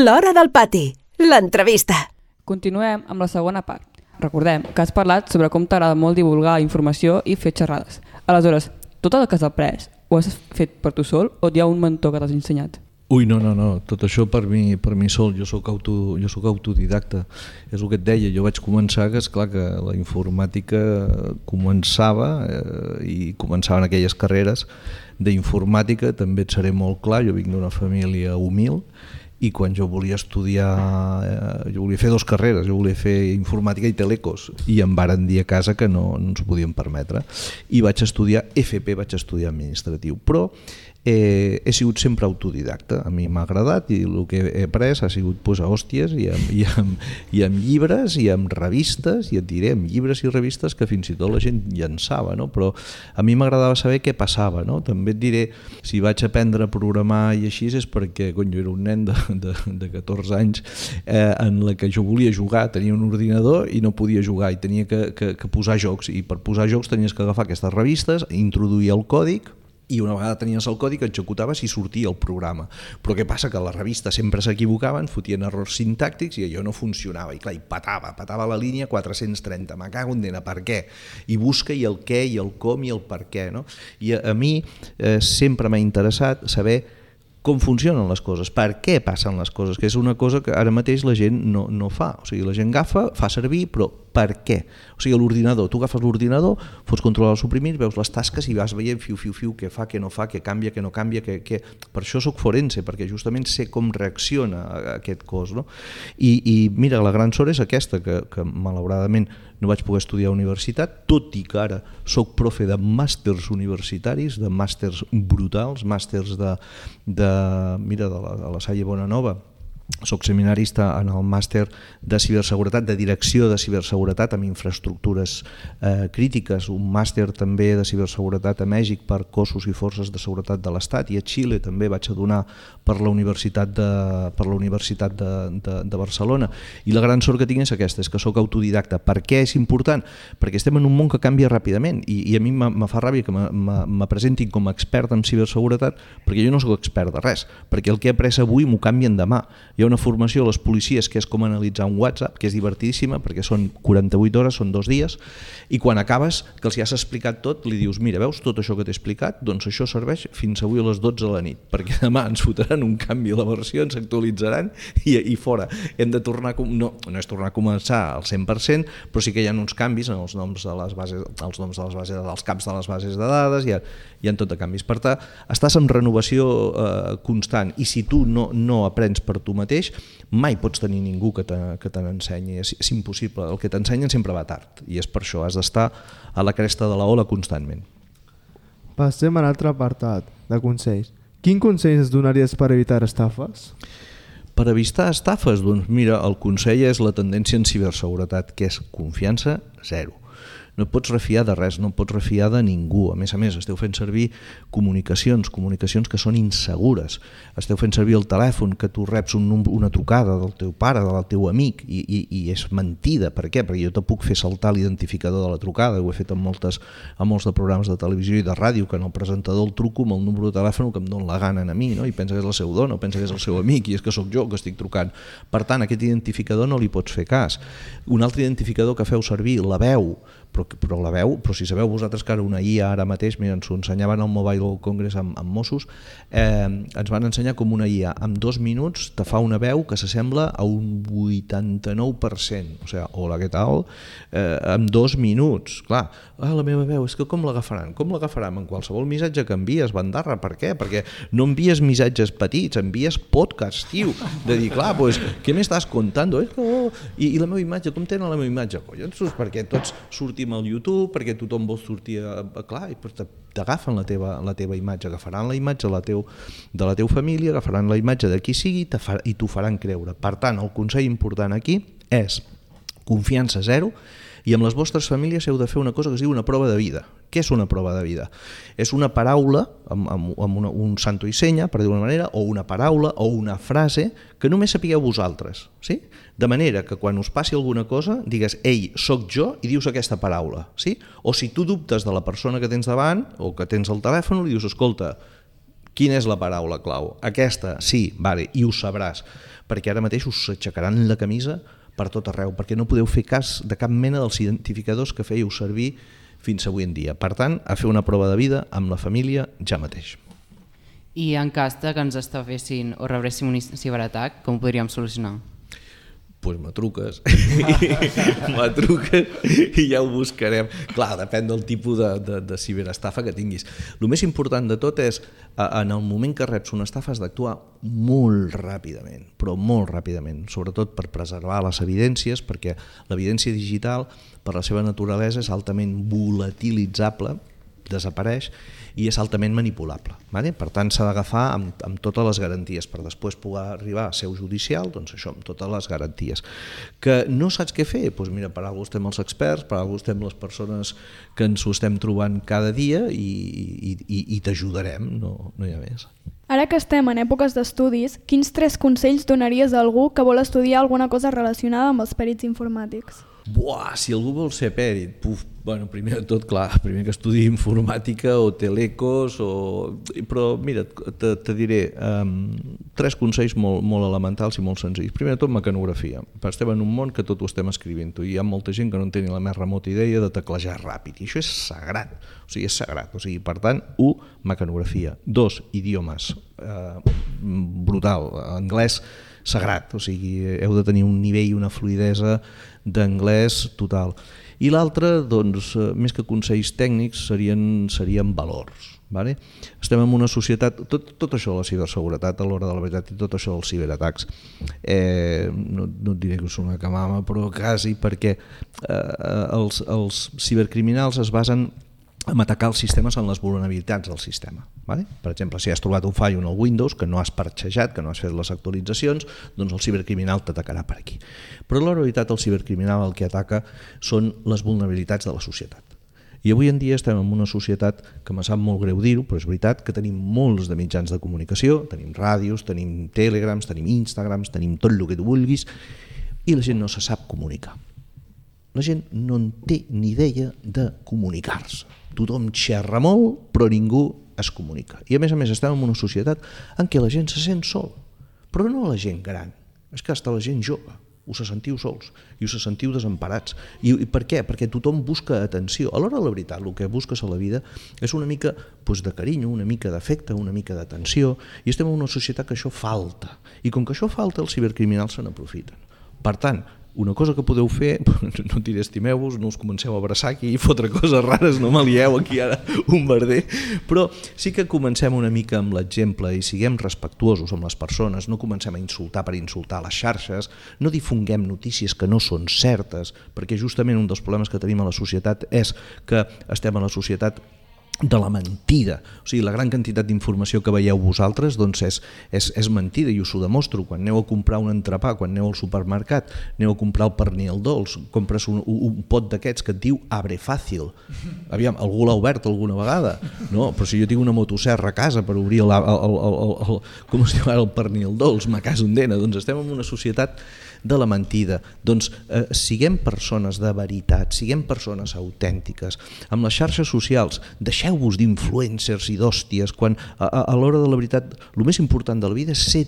L'Hora del Pati, l'entrevista. Continuem amb la segona part. Recordem que has parlat sobre com t'agrada molt divulgar informació i fer xerrades. Aleshores, tot el que has après ho has fet per tu sol o hi ha un mentor que t'has ensenyat? Ui, no, tot això per mi sol, jo soc autodidacta, és el que et deia, jo vaig començar que esclar que la informàtica començava i començaven aquelles carreres d'informàtica, també et seré molt clar, jo vinc d'una família humil i quan jo volia estudiar, jo volia fer 2 carreres, jo volia fer informàtica i telecos i em varen dir a casa que no ens ho podien permetre i vaig estudiar FP, vaig estudiar administratiu, però he sigut sempre autodidacta, a mi m'ha agradat i el que he après ha sigut posar hòsties i amb llibres i amb revistes, i et diré, amb llibres i revistes que fins i tot la gent llançava, no? Però a mi m'agradava saber què passava, no? També et diré, si vaig aprendre a programar i així és perquè jo era un nen de 14 anys en la que jo volia jugar, tenia un ordinador i no podia jugar i tenia que posar jocs, i per posar jocs tenies que agafar aquestes revistes, introduir el còdic i una vegada tenies el codi que executaves i sortia el programa. Però què passa? Que a la revista sempre s'equivocaven, fotien errors sintàctics i allò no funcionava. I clar, i patava la línia 430. Me cago en dena, per què? I busca i el què, i el com, i el per què. No? I a mi sempre m'ha interessat saber com funcionen les coses, per què passen les coses, que és una cosa que ara mateix la gent no fa. O sigui, la gent fa servir, però per què? O sigui, l'ordinador, tu agafes l'ordinador, fots controlar el suprimir, veus les tasques i vas veient fiu, què fa, què no fa, què canvia, què no canvia, què... Per això soc forense, perquè justament sé com reacciona aquest cos. No? I mira, la gran sort és aquesta, que malauradament no vaig poder estudiar a universitat, tot i que ara soc profe de màsters universitaris, de màsters brutals, màsters de la Salle Bonanova. Soc seminarista en el màster de ciberseguretat, de direcció de ciberseguretat amb infraestructures crítiques, un màster també de ciberseguretat a Mèxic per cossos i forces de seguretat de l'Estat, i a Xile també vaig a donar per la Universitat de Barcelona. I la gran sort que tinc és aquesta, és que soc autodidacta. Per què és important? Perquè estem en un món que canvia ràpidament i a mi me fa ràbia que me presentin com a expert en ciberseguretat, perquè jo no soc expert de res, perquè el que he après avui m'ho canvien demà. Hi ha una formació a les policies que és com analitzar un WhatsApp, que és divertidíssima perquè són 48 hores, són 2 dies, i quan acabes, que els has explicat tot, li dius, mira, veus tot això que t'he explicat? Doncs això serveix fins avui a les 12 de la nit, perquè demà ens fotran un canvi a la versió, ens actualitzaran i fora. Hem de tornar, no és tornar a començar al 100%, però sí que hi ha uns canvis en els noms de les bases, dels caps de les bases de dades, hi ha tot de canvis. Per tant, estàs en renovació constant, i si tu no aprens per tu mateix, mai pots tenir ningú que te n'ensenyi, és impossible, el que t'ensenyen sempre va tard, i és per això, has d'estar a la cresta de la ola constantment. Passem a l'altre apartat de consells. Quin consell es donaries per evitar estafes? Per evitar estafes, doncs mira, el consell és la tendència en ciberseguretat, que és confiança zero. No et pots refiar de res, no et pots refiar de ningú. A més, esteu fent servir comunicacions que són insegures. Esteu fent servir el telèfon, que tu reps una trucada del teu pare, del teu amic, i és mentida. Per què? Perquè jo te puc fer saltar l'identificador de la trucada. Ho he fet en molts de programes de televisió i de ràdio, que en el presentador el truco amb el número de telèfon que em dona la gana a mi, no? I pensa que és la seva dona, o pensa que és el seu amic, i és que sóc jo que estic trucant. Per tant, aquest identificador no li pots fer cas. Un altre identificador que feu servir, la veu, però si sabeu vosaltres que ara una IA ara mateix, mira, ens ho ensenyaven al Mobile World Congress amb Mossos, ens van ensenyar com una IA en 2 minuts te fa una veu que s'assembla a un 89%, o sigui, hola, què tal? En 2 minuts, clar, la meva veu, és que com l'agafaran? Com l'agafaran? En qualsevol missatge que envies, bandarra, per què? Perquè no envies missatges petits, envies podcasts, tio, de dir, clar, pues, què m'estàs contando? I la meva imatge, com tenen la meva imatge? Collons, perquè tots sortim al YouTube, perquè tothom vol sortir clar, i t'agafen la teva imatge, agafaran la imatge de la teva família, agafaran la imatge de qui sigui i t'ho faran creure. Per tant, el consell important aquí és confiança zero, i amb les vostres famílies heu de fer una cosa que es diu una prova de vida. Què és una prova de vida? És una paraula, amb un santo i senya, per dir-ho d'una manera, o una paraula o una frase que només sapigueu vosaltres. Sí? De manera que quan us passi alguna cosa, digues, ei, sóc jo, i dius aquesta paraula. Sí? O si tu dubtes de la persona que tens davant o que tens al telèfon, li dius, escolta, Quina és la paraula clau? Aquesta, sí, vale, i ho sabràs, perquè ara mateix us aixecaran la camisa per tot arreu, perquè no podeu fer cas de cap mena dels identificadors que fèieu servir fins avui en dia. Per tant, a fer una prova de vida amb la família ja mateix. I en cas que ens estafessin o rebréssim un ciberatac, com ho podríem solucionar? Doncs me truques i ja ho buscarem. Clar, depèn del tipus de ciberestafa que tinguis. El més important de tot és, en el moment que reps una estafa, has d'actuar molt ràpidament, però molt ràpidament, sobretot per preservar les evidències, perquè l'evidència digital, per la seva naturalesa, és altament volatilitzable, desapareix, i és altament manipulable. Per tant, s'ha d'agafar amb totes les garanties per després poder arribar a seu judicial, doncs això, amb totes les garanties. Que no saps què fer? Doncs mira, per alguna cosa estem els experts, per alguna cosa estem les persones que ens ho estem trobant cada dia i t'ajudarem, no hi ha més. Ara que estem en èpoques d'estudis, quins 3 consells donaries a algú que vol estudiar alguna cosa relacionada amb els perits informàtics? Buah, si algú vol ser pèrit, primer de tot, clar, primer que estudi informàtica o telecos, però mira, te diré 3 consells molt elementals i molt senzills. Primer de tot, mecanografia. Estem en un món que tot ho estem escrivint i hi ha molta gent que no en té ni la més remota idea de teclejar ràpid, i això és sagrat, és sagrat. Per tant, 1, mecanografia. 2, idiomes. Brutal. Anglès, sagrat, heu de tenir un nivell i una fluïdesa d'anglès total. I l'altre, doncs, més que consells tècnics, serien valors. Estem en una societat, tot això de la ciberseguretat a l'hora de la veritat i tot això dels ciberatacs, no et diré que són una camama, però quasi, perquè els cibercriminals es basen en atacar els sistemes en les vulnerabilitats del sistema. Per exemple, si has trobat un fallo en el Windows que no has parxejat, que no has fet les actualitzacions, doncs el cibercriminal t'atacarà per aquí. Però la realitat el cibercriminal el que ataca són les vulnerabilitats de la societat. I avui en dia estem en una societat que me sap molt greu dir-ho, però és veritat que tenim molts de mitjans de comunicació, tenim ràdios, tenim telegrams, tenim instagrams, tenim tot el que tu vulguis, i la gent no se sap comunicar. La gent no en té ni idea de comunicar-se. Tothom xerra molt, però ningú es comunica. I a més estem en una societat en què la gent se sent sol, però no la gent gran, és que hasta la gent jove us sentiu sols i us sentiu desemparats. I per què? Perquè tothom busca atenció. A l'hora de la veritat, el que busques a la vida és una mica de carinyo, una mica d'afecte, una mica d'atenció, i estem en una societat que això falta. I com que això falta, els cibercriminals se n'aprofiten. Per tant, una cosa que podeu fer, no diré estimeu-vos, no us comenceu a abraçar aquí i fotre coses rares, no m'alieu aquí ara un merder, però sí que comencem una mica amb l'exemple i siguem respectuosos amb les persones, no comencem a insultar per insultar a les xarxes, no difonguem notícies que no són certes, perquè justament un dels problemes que tenim a la societat és que estem a la societat de la mentida. La gran quantitat d'informació que veieu vosaltres és mentida, i us ho demostro. Quan aneu a comprar un entrepà, quan aneu al supermercat, aneu a comprar el pernil dolç, compres un pot d'aquests que et diu Abre Fàcil. Aviam, algú l'ha obert alguna vegada? No, però si jo tinc una motosserra a casa per obrir com es diu ara, el pernil dolç, ma casa on dena, doncs estem en una societat de la mentida. Doncs siguem persones de veritat, siguem persones autèntiques. Amb les xarxes socials, deixeu-vos d'influencers i d'hòsties, quan a l'hora de la veritat el més important de la vida és ser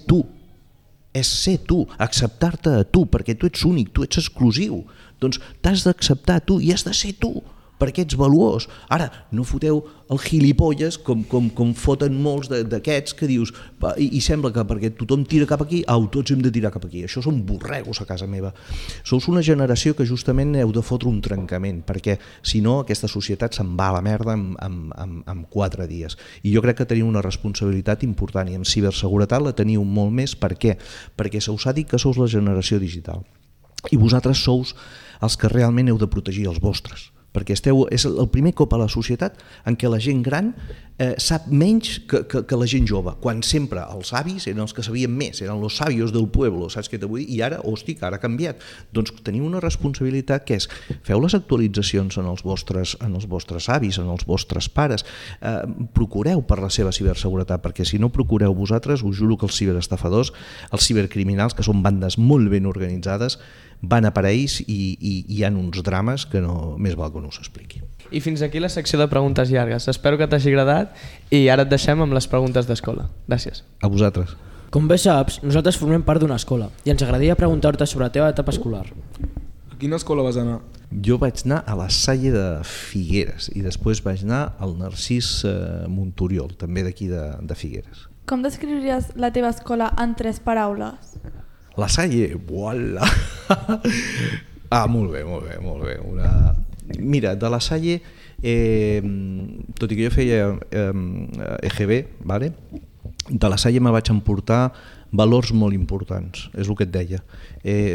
tu, acceptar-te a tu, perquè tu ets únic, tu ets exclusiu. Doncs t'has d'acceptar a tu i has de ser tu, perquè ets valuós. Ara, no foteu el gilipolles com foten molts d'aquests que dius, i sembla que perquè tothom tira cap aquí, tots hem de tirar cap aquí. Això són borregos a casa meva. Sous una generació que justament heu de fotre un trencament, perquè si no aquesta societat se'n va a la merda en 4 dies. I jo crec que teniu una responsabilitat important, i en ciberseguretat la teniu molt més. Per què? Perquè se us ha dit que sous la generació digital, i vosaltres sous els que realment heu de protegir els vostres, perquè és el primer cop a la societat en què la gent gran sap menys que la gent jove, quan sempre els avis eren els que sabien més, eren los sabios del pueblo, saps què t'ho vull dir? I ara, hòstia, ara ha canviat. Doncs teniu una responsabilitat que és, feu les actualitzacions en els vostres avis, en els vostres pares, procureu per la seva ciberseguretat, perquè si no procureu vosaltres, us juro que els ciberestafadors, els cibercriminals, que són bandes molt ben organitzades, van a per ells i hi ha uns drames que no més val que que no us expliqui. I fins aquí la secció de preguntes llargues. Espero que t'hagi agradat i ara et deixem amb les preguntes d'escola. Gràcies. A vosaltres. Com bé saps, nosaltres formem part d'una escola i ens agradaria preguntar-te sobre la teva etapa escolar. A quina escola vas anar? Jo vaig anar a la Salle de Figueres i després vaig anar al Narcís Monturiol, també d'aquí de Figueres. Com descriuries la teva escola en 3 paraules? La Salle, voilà! Molt bé. Mira, de la Salle, tot i que jo feia EGB, vale? De la Salle me vaig emportar valors molt importants, és el que et deia.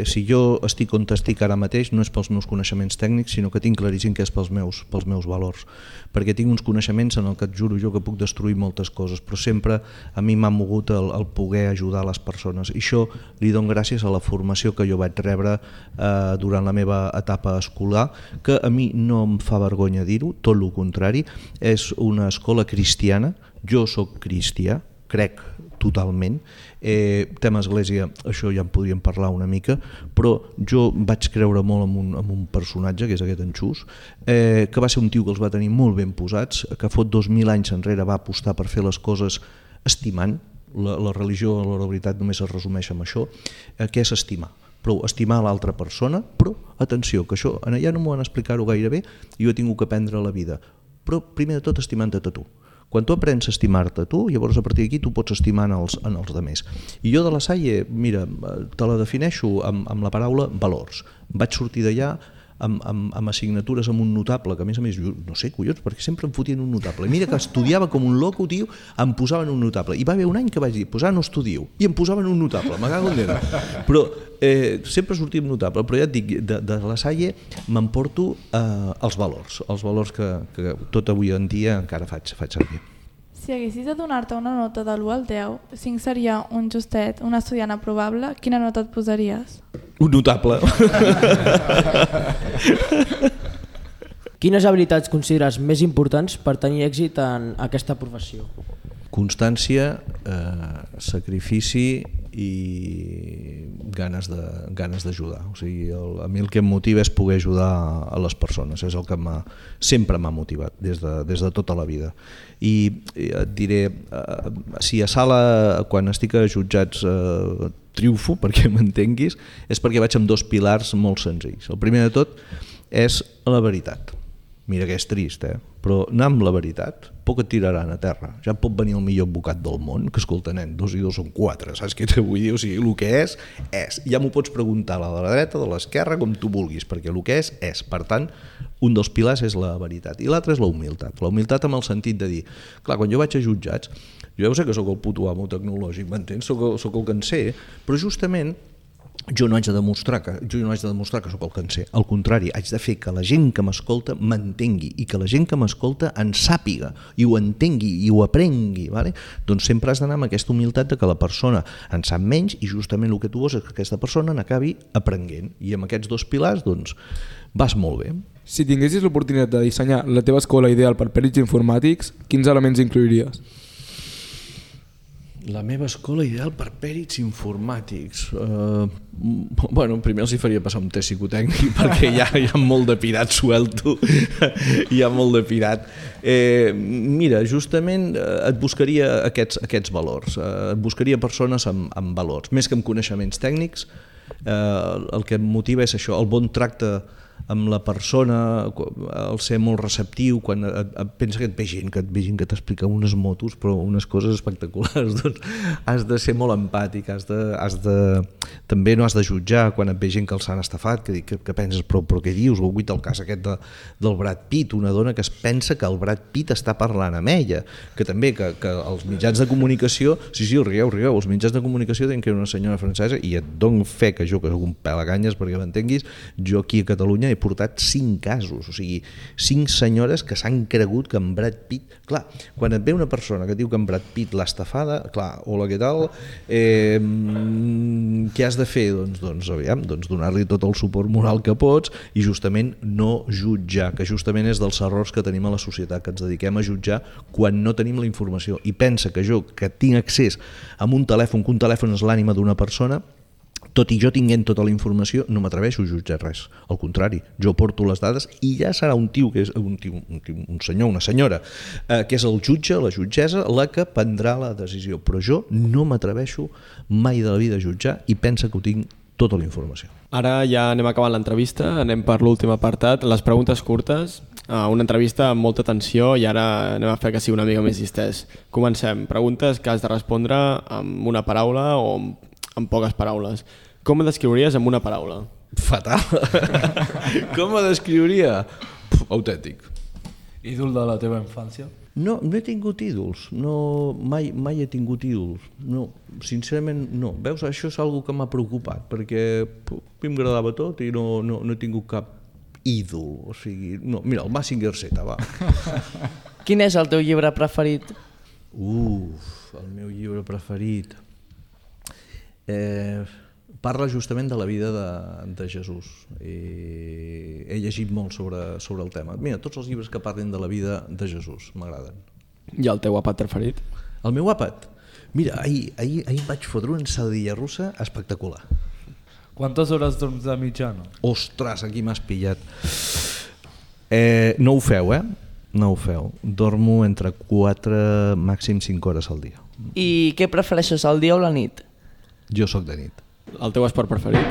Si jo estic on estic ara mateix no és pels meus coneixements tècnics, sinó que tinc claríssim que és pels meus valors, perquè tinc uns coneixements en el que et juro jo que puc destruir moltes coses, però sempre a mi m'ha mogut el poder ajudar les persones, i això li dono gràcies a la formació que jo vaig rebre durant la meva etapa escolar, que a mi no em fa vergonya dir-ho, tot el contrari, és una escola cristiana, jo sóc cristià, crec totalment. Tema església, això ja en podríem parlar una mica, però jo vaig creure molt en un personatge, que és aquest Enxús, que va ser un tio que els va tenir molt ben posats, que fot 2000 anys enrere va apostar per fer les coses estimant. La religió, la veritat, només es resumeix amb això, que és estimar. Però estimar l'altra persona, però atenció, que això allà no m'ho van explicar-ho gaire bé i jo he tingut que aprendre a la vida, però primer de tot estimant-te a tu. Quan tu aprens a estimar-te a tu, llavors a partir d'aquí tu pots estimar en els altres. I jo de la Salle, mira, te la defineixo amb la paraula valors. Vaig sortir d'allà amb assignatures amb un notable, que a més, no sé, collons, perquè sempre em fotien un notable. I mira que estudiava com un loco, tio, em posaven un notable. I va haver un any que vaig dir, no estudieu, i em posaven un notable, me cago en Déu. Però sempre sortia amb notable, però ja et dic, de la Salle m'emporto els valors que tot avui en dia encara faig servir. Si haguessis de donar-te una nota de l'1 al 10, 5 seria un justet, un estudiant aprovable, quina nota et posaries? Un notable. Quines habilitats consideres més importants per tenir èxit en aquesta professió? Constància, sacrifici i ganes d'ajudar. O sigui, a mi el que em motiva és poder ajudar a les persones, és el que sempre m'ha motivat des de tota la vida. I et diré, si a sala, quan estic a jutjats, triomfo, perquè m'entenguis, és perquè vaig amb 2 pilars molt senzills. El primer de tot és la veritat. Mira que és trist, però anar amb la veritat, poc et tiraran a terra. Ja pot venir el millor advocat del món, que escolta, nen, 2 i 2 són 4, saps què te vull dir? O sigui, el que és. Ja m'ho pots preguntar a la dreta, de l'esquerra, com tu vulguis, perquè el que és. Per tant, un dels pilars és la veritat. I l'altre és la humilitat. La humilitat amb el sentit de dir, clar, quan jo vaig a jutjats, jo ja sé que sóc el puto amo tecnològic, m'entens? Sóc el que en sé, però justament jo no haig de demostrar que sóc el que en sé. Al contrari, haig de fer que la gent que m'escolta m'entengui i que la gent que m'escolta en sàpiga i ho entengui i ho aprengui. Vale? Doncs sempre has d'anar amb aquesta humilitat de que la persona en sap menys i justament el que tu vols és que aquesta persona n'acabi aprenent. I amb aquests 2 pilars doncs, vas molt bé. Si tinguessis l'oportunitat de dissenyar la teva escola ideal per pèrits informàtics, quins elements incluiries? La meva escola ideal per pèrits informàtics. Primer els hi faria passar un test psicotècnic perquè hi ha molt de pirat suelto. Hi ha molt de pirat. Mira, justament et buscaria aquests valors. Et buscaria persones amb valors. Més que amb coneixements tècnics, el que em motiva és això, el bon tracte amb la persona, el ser molt receptiu, quan pensa que et ve gent que t'explica unes motos però unes coses espectaculars, doncs has de ser molt empàtic, també no has de jutjar quan et ve gent que els han estafat, que penses però què dius, o el cas aquest del Brad Pitt, una dona que es pensa que el Brad Pitt està parlant amb ella, que també que els mitjans de comunicació, sí, rieu, els mitjans de comunicació tenen que era una senyora francesa, i et dono fe que jo, que soc un pelaganyes perquè m'entenguis, jo aquí a Catalunya he portat 5 casos, o sigui, 5 senyores que s'han cregut que en Brad Pitt... Clar, quan et ve una persona que diu que en Brad Pitt l'ha estafada, clar, hola, què tal? Què has de fer? Doncs donar-li tot el suport moral que pots i justament no jutjar, que justament és dels errors que tenim a la societat, que ens dediquem a jutjar quan no tenim la informació. I pensa que jo, que tinc accés a un telèfon, que un telèfon és l'ànima d'una persona, tot i jo tinguent tota la informació, no m'atreveixo a jutjar res. Al contrari, jo porto les dades i ja serà un senyor, una senyora, que és el jutge, la jutgessa, la que prendrà la decisió. Però jo no m'atreveixo mai de la vida a jutjar i pensa que ho tinc tota la informació. Ara ja anem acabant l'entrevista, anem per l'últim apartat, les preguntes curtes, una entrevista amb molta tensió i ara anem a fer que sigui una mica més distès. Comencem. Preguntes que has de respondre amb una paraula o amb poques paraules. Com ho descriuries amb una paraula? Fatal. Com ho descriuria? Autèntic. Ídol de la teva infància? No he tingut ídols, mai he tingut ídols, no, sincerament no. Veus, això és una que m'ha preocupat, perquè m'agradava tot i no he tingut cap ídol, o sigui, no. Mira, el Mazinger Z, va. Quin és el teu llibre preferit? El meu llibre preferit... Parla justament de la vida de Jesús. He llegit molt sobre el tema. Mira, tots els llibres que parlen de la vida de Jesús m'agraden. I el teu àpat preferit? El meu àpat? Mira, ahir vaig fotre una ensaladilla russa espectacular. Quantes hores dorms de mitjana? Ostres, aquí m'has pillat. No ho feu, No ho feu. Dormo entre 4, màxim 5 hores al dia. I què prefereixes, el dia o la nit? Jo sóc de nit. El teu esport preferit?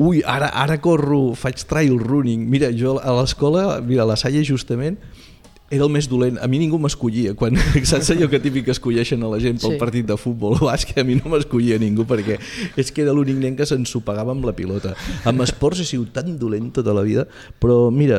Ui, ara corro, faig trail running. Mira, jo a l'escola, a la Salle justament, era el més dolent. A mi ningú m'escollia. Quan, saps allò que típic que escolleixen a la gent pel partit de futbol o bàsquet? A mi no m'escollia ningú perquè és que era l'únic nen que s'ensopegava amb la pilota. Amb esports he sigut tan dolent tota la vida, però mira,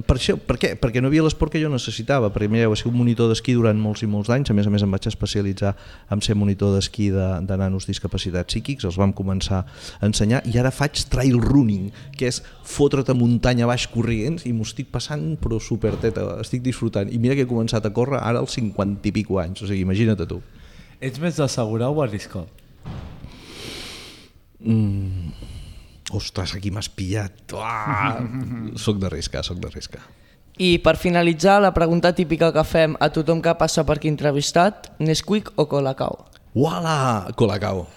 per què? Perquè no havia l'esport que jo necessitava. Perquè mira, he sigut monitor d'esquí durant molts i molts anys, a més em vaig especialitzar en ser monitor d'esquí de nanos discapacitats psíquics, els vam començar a ensenyar i ara faig trail running, que és fotre't a muntanya baix corrents i m'ho estic passant però superteta, estic disfrutant. I mira que he començat a córrer ara als 50 i pico anys, o sigui, imagina't tu. Ets més d'assegurar o arriscar? Ostres, aquí m'has pillat. Soc d'arriscar. I per finalitzar, la pregunta típica que fem a tothom que passa per aquí entrevistat, Nesquik o Colacao? Uala! Colacao.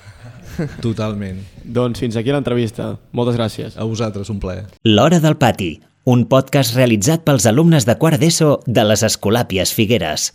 Totalment. Doncs fins aquí l'entrevista. Moltes gràcies. A vosaltres, un plaer. L'Hora del Pati, un podcast realitzat pels alumnes de quart d'ESO de les Escolàpies Figueres.